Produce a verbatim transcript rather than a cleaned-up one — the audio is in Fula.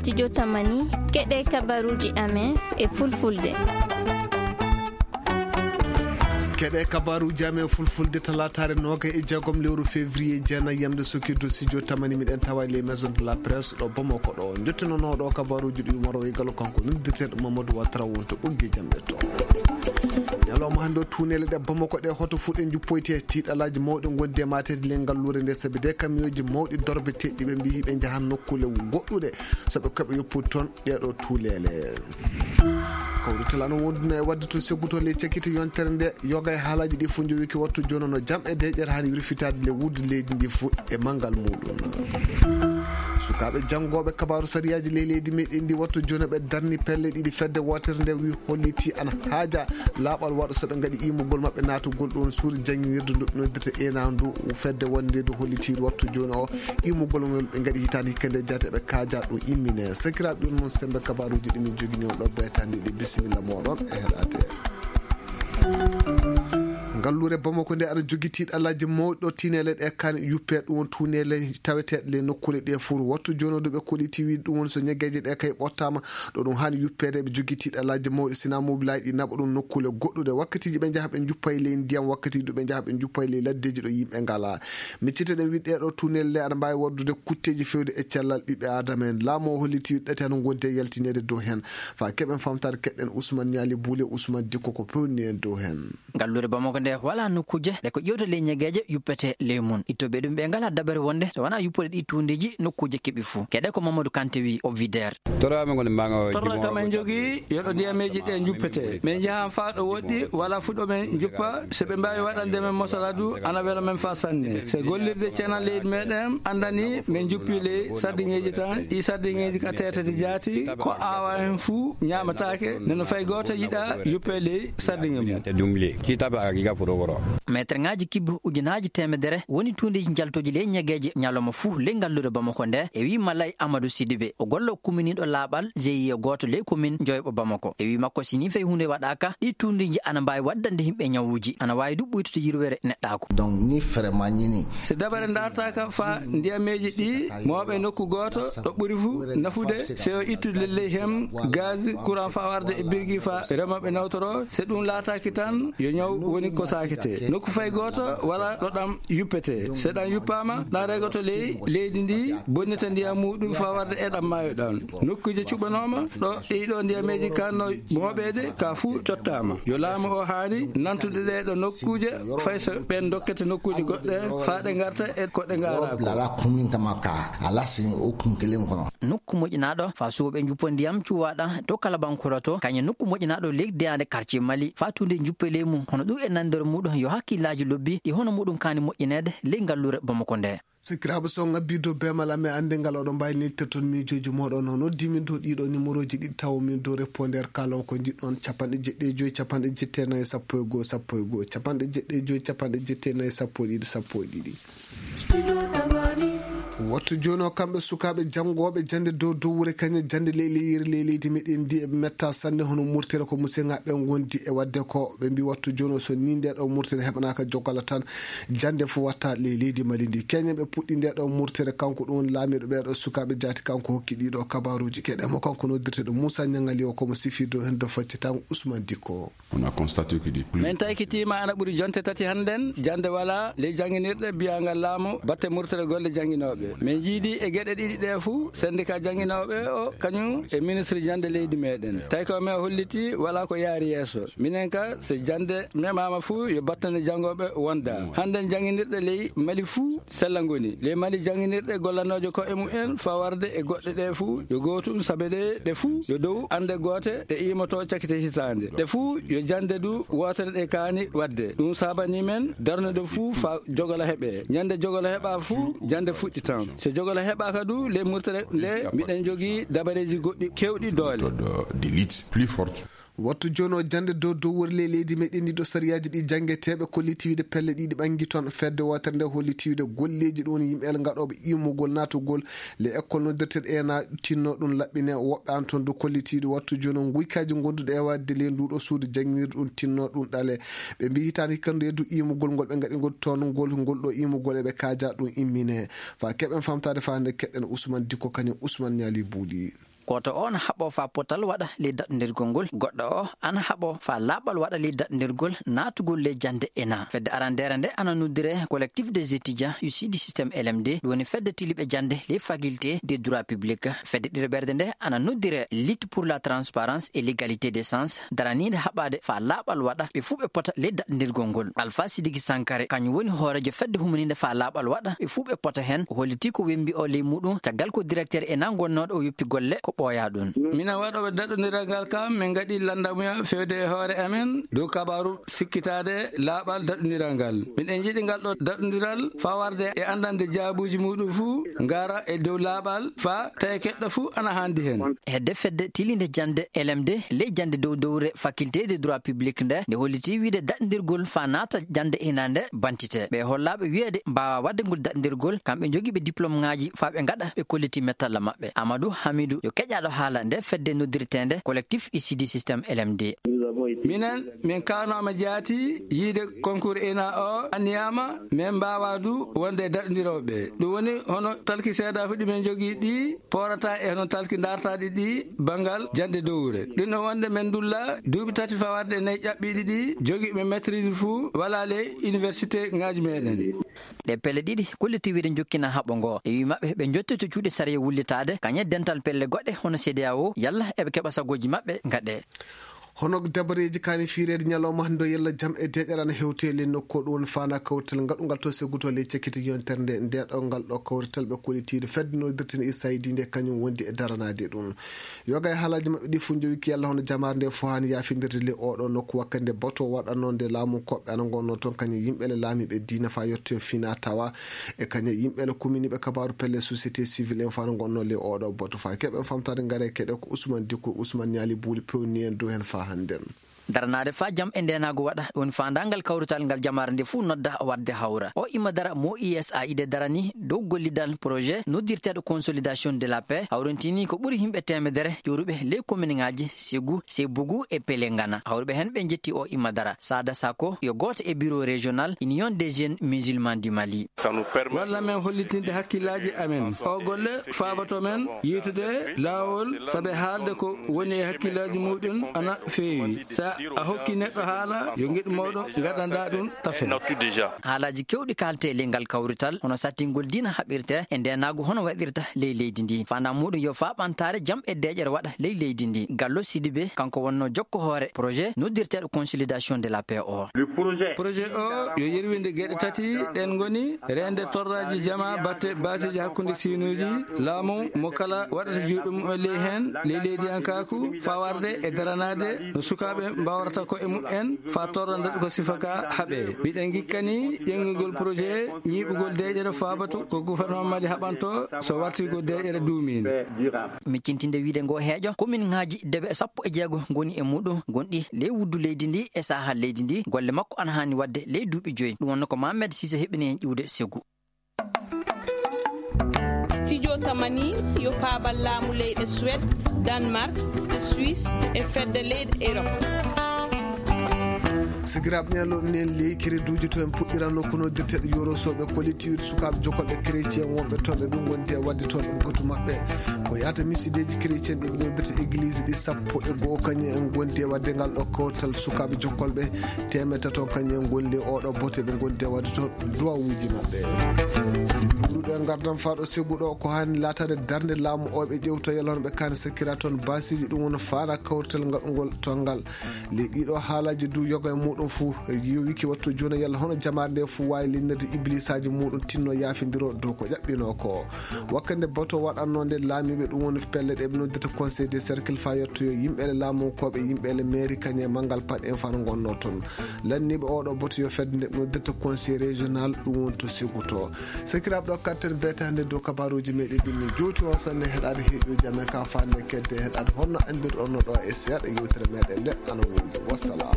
Studio Tamani, keɗe kabaruuji amen e fulfulde. Keɗe kabaruuji amen e fulfulde talaataare noogay e jeegom lewru février, jeenayi yamde sokirdu studio Tamani, miɗen tawa e les maisons de la presse ɗo Bamako ɗo. Njottinooɗo kabaruuji ɗi Umaro e Galo, kanko noddirteeɗo Mamadou Ouattara wonto ɓoggi jam e to. Ñalawma hannde o, tuuneele ɗe Bamako ɗe hoto fuɗe njuppoyte, tiiɗalaaji mawɗi ngondi e maateede ley ngalluure nde, sabi de kamiyooji mawɗi dorbeteeɗi ɓe mbiyi ɓe njahan nokkuule goɗɗuɗe. So ɓe keɓa yoppude toon ɗeeɗo tuuleele. Kawrital ana wonduna e waɗde to Seggu to ley cakkite yontere nde, yoga e haalaaji ɗi fof njowiki wattu jooni no jam e deeƴere haani wirfitaade le wudde leydi ndi fof e manngal muɗum. Sukaaɓe janngooɓe kabaaru sariyaaji ley leydi meɗen ndi wattu jooni ɓe darni pelle ɗiɗi fedde wootere nde wi holliti ana haaja laaɓal waɗa so ɓe ngaɗi imugol maɓɓe naatugol ɗoon suudu janngirde ndu ɓe noddirta ena ndu fedde wonde ndu holliti wattu jooni o imugol ngol ɓe ngaɗi hitaande hikka nde jaate ɓe kaaja ɗum immine. Sakiraaɓe ɗum noon sembe kabaaruuji ɗi min jogini on ɗo beetandi ɗi bisimilla mooɗon e heɗaade. Ngalluure Bamako nde aɗa jogi tiiɗalaaji mawɗo tiineele ɗe kan yuppe ɗum won tuuneele taweteeɗe le nokkuule ɗe fof wattu jooni ɗo ɓe kolliti wi ɗum woni so ñeggeeje ɗe kay ɓottaama ɗo ɗum haani yuppeede ɓe jogi tiiɗalaaji mawɗi sina mobilaaji ɗi naɓa ɗum nokkuule goɗɗuɗe wakkatiiji ɓe njaha ɓe njuppa e ley ndiyam wakkatiiji ɗo ɓe njaha ɓe njuppa e ley laddeeji ɗo yimɓe ngalaa. Miccite ɗen wi ɗeeɗo tuuneele le aɗa mbaawi waɗdude kutteeji feewde e cellal ɓiɓɓe aadama en laamu o holliti ɗate hano ngondi e yaltineede dow heen. Fa keɓen famtaade keɗɗen Ousmane Ñaali Buule Ousmane Dikko ko pewni en dow heen. Ngalluure Bamako nde wala nokkuuje ɗe ko ƴewta ley ñegeeje yuppete ley mum ittooɓe ɗum ɓe ngala dabere wonde so wona yuppude ɗi tuundeeji nokkuuje keɓi fuu keɗe ko Mamadou Kanté wi o wideer. Torra kam en jogii yo ɗo ndiyameeji ɗe njuppete min njahan faa ɗo woɗɗi wala fuu ɗo men njuppa so ɓe mbaawi waɗande men mosala du ana wela men faa sanne so gollirde ceenal leydi meɗen anndani min njuppi ley sardiŋeeji tan ɗi sardiŋeeji ka teetati jaati ko aawa heen fuu ñaamataake nde no fay gooto yiɗa yuppe ley sardiŋe mum. Maître ŋaaji kibbu ujunaaji teemedere woni tuundeeji njaltooji ley ñegeeje ñalawma fuu ley ngalluure Bamako nde e wi Malay Amadou Sidibe o gollo kumminiiɗo laaɓal G I E gooto ley komin joyɓo Bamako e wi makko si ni fay huunde waɗaaka ɗi tuundeeji ana mbaawi waddande yimɓe ñawuuji ana waawi du ɓuytude yirwere neɗɗaaku. Donc ni ferema ñini. Si dabare ndaartaaka faa ndiyameeji ɗi mooɓe nokku gooto ɗo ɓuri fuu nafude si o ittude ley heen gaz courant faa warde e birgi faa remooɓe nawtoro si ɗum laataaki tan yo ñaw woni ko saakete nokku fay gooto wala ɗo ɗam yuppete so ɗam yuppaama ɗam regoto ley leydi ndi bonnita ndiyam muɗum faa warde e ɗam maayo ɗam nokkuuje cuɓanooma ɗo ɗiɗo ndiyameeji kanno mooɓeede ka fuu cottaama yo laamu o haani nantude ɗeeɗo nokkuuje fay so ɓeen dokkete nokkuuje goɗɗe faa ɗe ngarta e ko ɗe ngaaraako. Ala kuminta makka ala sin o kunkelen kono. Nokku moƴƴinaaɗo faa suwooɓe njuppo ndiyam cuwaaɗa to kala bankuroto kañe nokku moƴƴinaaɗo leydi deyaande quartier Mali faa tuunde njuppe ley mum hono ɗum e nanndere muɗum yo hakkillaaji lobbi ɗi hono muɗum kaani moƴƴineede ley ngalluure Bamako nde. Sikiraaɓe so ngabbii dow beemal amen annde ngal oɗon mbaawi neltirde toon miijooji mooɗon o noddi min dow ɗiɗo nimorooji ɗiɗi tawo min dow répondeur kaalon ko njiɗɗon capanɗe jeɗɗi e joyi capanɗe jeɗɗi e nayi sappo e goo sappo e goo capanɗe jeɗɗi e joyi capanɗe jeɗɗi e nayi sappo e ɗiɗi sappo e ɗiɗi. Wattu jooni o kamɓe sukaaɓe janngooɓe jannde dow dowre kañe jannde ley leyiri ley leydi meɗen ndi eɓe metta sanne hono murtere ko museŋaaɓe ngondi e waɗde ko ɓe mbi wattu jooni o so ni nde ɗo murtere heɓanaaka jogala tan jannde fof watta ley leydi Mali ndi keñen ɓe puɗɗi nde ɗo murtere kanko ɗum woni laamiiɗo ɓeeɗo sukaaɓe jaati kanko hokki ɗiɗo kabaruuji keɗe mo kanko noddirteɗo Moussa Ñangali o komo sifi dow heen do facce tan Ousmane Dikko. On a constaté que des plus. Min taykitiima ana ɓuri jonte tati hannden jannde wala ley jannginirɗe biyaangal laamu batte murtere golle jannginooɓe min njiidi e geɗe ɗiɗi ɗe fuu sendika jannginooɓe o kañum e ministre jannde leydi meɗen tawi ko men holliti wala ko yaari yeeso minen ka so jannde memaama fuu yo battane janngooɓe wonda hannden jannginirɗe ley Mali fuu sella ngoni ley Mali jannginirɗe gollanooje ko e mumen faa warde e goɗɗe ɗe fuu yo gootum sabe ɗe ɗe fuu yo dow annde goote ɗe iimoto cakkite hitaande ɗe fuu yo jannde du wootere ɗe kaani waɗde ɗum saabanii men darnude fuu faa jogolo heɓee ñande jogolo heɓaa fuu jannde fuɗɗi tan so jogolo heɓaaka du ley murtere nde miɗen njogii dabareeji goɗɗi keewɗi doole. D'élite plus forte. Wattu jooni o jannde dow dow wori ley leydi meɗen ndi ɗo sariyaaji ɗi janngeteeɓe kolliti wiide pelle ɗiɗi ɓanngi toon fedde wootere nde holliti wiide golleeji ɗum woni yimɓe ngaɗooɓe immugol naatugol le école noddirteɗo ena tinno ɗum laɓɓine woɓɓe an toon do kollitiiɗo wattu jooni o nguykaaji ngonduɗo e waɗde ley nduɗo suudu janngirde ɗum tinno ɗum ɗale ɓe mbi hitaande hikka ndu yeddu immugol ngol ɓe ngaɗigol toon ngol ngol ɗo immugol eɓe kaaja ɗum immine fa keɓen famtaade fa hannde keɗɗen Ousmane Dikko kañum Ousmane Ñaali Buuli. Gooto o ana haɓoo faa potal waɗa ley daɗndirgol ngol, goɗɗo o ana haɓoo faa laaɓal waɗa ley daɗndirgol naatugol ley jannde ena. Fedde arandeere nde ana noddire Collectif des étudiants issus du système L M D, ɗum woni fedde tiliiɓe jannde ley faculté des droits publics. Fedde ɗiɗaɓerde nde ana noddire Lutte pour la transparence et l'égalité des chances, daraniinde haɓaade faa laaɓal waɗa ɓe fuu ɓe pota ley daɗndirgol ngol. Alpha Sidiki Sankare, kañum woni hooreejo fedde humaniinde faa laaɓal waɗa ɓe fuu ɓe pota heen, o hollitii ko wembi o ley muɗum, caggal ko directeur ena gonnooɗo o yoppi golle ko ɓooyaa ɗum. Minen waɗooɓe daɗondiral ngal kam, min ngaɗii lanndamuya feewde e hoore amen dow kabaaru sikkitaade laaɓal daɗondiral ngal. Miɗen njiɗi ngal ɗo daɗondiral faa warde e anndande jaabuuji muɗum fuu, ngara e dow laaɓal faa tawi keɗɗo fuu ana haandi heen. Hedde fedde tiliinde jannde L M D ley jannde dow dowre faculté de droit public nde, nde hollitii wiyde daɗndirgol faa naata jannde ena nde bantite. Ɓe hollaaɓe wiyeede mbaawaa waɗde ngol daɗndirgol, kamɓe njogiiɓe diplôme ŋaaji faa ɓe ngaɗa ɓe kollitii mettalla maɓɓe. Amadou Hamidou yo keƴaaɗo haala nde fedde noddirteende Collectif issus du système L M D. Minen, min kaanooma jaati yiyde concours ena o anniyaama, min mbaawaa du wonde e daɗondirooɓe. Ɗum woni hono talki seedaaji ɗi min njogii ɗi poorataa e hono talki ndaartaaɗi ɗi banngal jannde dowre. Ɗum ɗo wonde min ndulla duuɓi tati faa warde e nayi ƴaɓɓiiɗi ɗi jogiiɓe maîtrise fuu walaa ley université ŋaaji meɗen. Ɗe pelle ɗiɗi kollitii wiyde njokkina haɓo ngo. E wii maɓɓe ɓe njottito cuuɗi sariya wullitaade, kañe dental pelle goɗɗe hono C D A O, yalla eɓe keɓa sagooji maɓɓe ngaɗee. Hono dabareeji kaani fiireede ñalawma hannde o, yalla jam e deeƴere ana hewtee ley nokku o, ɗum woni faanaa kawrital ngaɗungal to Seguto ley cakkiti yontere nde. Nde ɗo ngal ɗo kawrital ɓe kollitiiɗo fedde noddirteende I S A I D nde kañum wondi e daranaade ɗum. Yoga e haalaaji maɓɓe ɗi fof njowiki yalla hono jamaare nde fof haani yaafindirde ley oo ɗoo nokku wakkati nde bato waɗanoo nde laamu koɓɓe ana ngonnoo toon kañum yimɓe le laamiiɓe diina faa yettoyoo fina tawa e kañum yimɓe le kuminiiɓe kabaaru pelle société civile en faa no ngonnoo ley oo ɗoo bato faa keɓen famtaade ngare keɗe ko Ousmane Dikko Ousmane ñaali buuli pewni en dow heen faa hannden. Daranaade faa jam e ndeenaagu waɗa, ɗum woni faandaangal kawrital ngal jamaare nde fof nodda waɗde hawra. O Imma Dara mo I S A I D darani dow gollidal projet noddirteeɗo consolidation de la paix, hawrintini ko ɓuri yimɓe teemedere ƴuuruɓe ley kominŋaaji Segu, Sebugu e Pelengana. Hawruɓe heen ɓe njetti o Imma Dara. Sada Sako yo gooto e bureau régional Union des jeunes musulmans du Mali. Walla men hollitinde hakkillaaji amen. O golle faaboto men yiytude laawol, sabe haalde ko woni e hakkillaaji muɗum ana feewi. Sa a hokki neɗɗo haala, yo ngeɗu mawɗo ngaɗanɗaa ɗum tafe. Haalaaji keewɗi kaaltee ley ngal kawrital, hono sattingol diina haɓirtee e ndeenaagu hono waɗirta ley leydi ndi. Faandaare muɗum yo faa ɓamtaare jam e deeƴere waɗa ley leydi ndi. Gallo Sidibe, kanko wonnoo jokko hoore projet noddirteeɗo consolidation de la paix o. Projet o yo yerwinde geɗe tati, ɗeen ngoni reende torraaji jamaa batte baasiiji hakkunde siinuuji, laamu mo kala waɗata juuɗe mum e ley heen, ley leydiyankaaku, faa warde e daranaade no sukaaɓe mbaawrata koye mum en, faa torra nde ko sifa ka haɓee. Miɗen ngikkani ƴeŋngugol projet ñiiɓugol deeƴere faabatu ko gouvernement Mali haɓanto so warti ko deeƴere duumiinde. Miccintinde wiyde ngo heeƴo, kominŋaaji debe sappo e jeego ngoni e muɗum, gonɗi ley wuddu leydi ndi e sahal leydi ndi. Golle makko ana haani waɗde ley duuɓi joyi. Ɗum wonno ko Mohamed Cissé heɓini en ƴiwde Segu. Studio Tamani yo paabal laamu leyɗe Suède, Danemark, Suisse e fedde leyɗe Europe. Sigiraaɓe ñallo nen ley kereduuji to en puɗɗiranno kono dirteɗo yorosooɓe kollitiiwde sukaaɓe jokolɓe chrétien wonɓe toon ɓe ɓe ngondi e waɗde toon ɓe gotu maɓɓe. Ko yahata misideeji chrétien ɓe ɓe noddirta église ɗi sappo e goo kañum en ngondi e waɗde ngal ɗo kawtal sukaaɓe jokolɓe teemedde tato kañum en ngoni ley oɗo bote ɓe ngondi e waɗde toon duwawuuji maɓɓe. Ɓuruɗo e ngardam faaɗo Segu ɗo ko haani laataade darnde laamu o ɓe ƴewta yalla hono ɓe kaani sakkira toon baasiiji ɗum woni faana kawrital ngaɗungol toon ngal. Ley ɗiɗo haalaaji du yoga e muɗum fuu yowiki wattu jooni yalla hono jamaare nde fuu waawi linnirde iblisaaji muɗum tinno yaafindiro dow ko ƴaɓɓinoo ko. Wakkande bato waɗanno nde laamiiɓe ɗum woni pelle ɗe ɓe noddirta conseil des cercles faa yettoyo yimɓe le laamunkooɓe yimɓe le mairie kañe manngal paɗ en faa no ngonnoo toon. Lanniiɓe oɗo bato yo fedde nde ɓe noddirta conseil régional ɗum woni to Segu to. Sakiraaɓe ɗo kattan beetaande dow kabaaruuji meɗen ɗin min jowti on sanne heɗaade heeƴuuji amen ka faande kedde heɗaade honno anndirɗon no ɗo e seeɗa yewtere meɗen nde ana wonde. Wassalam.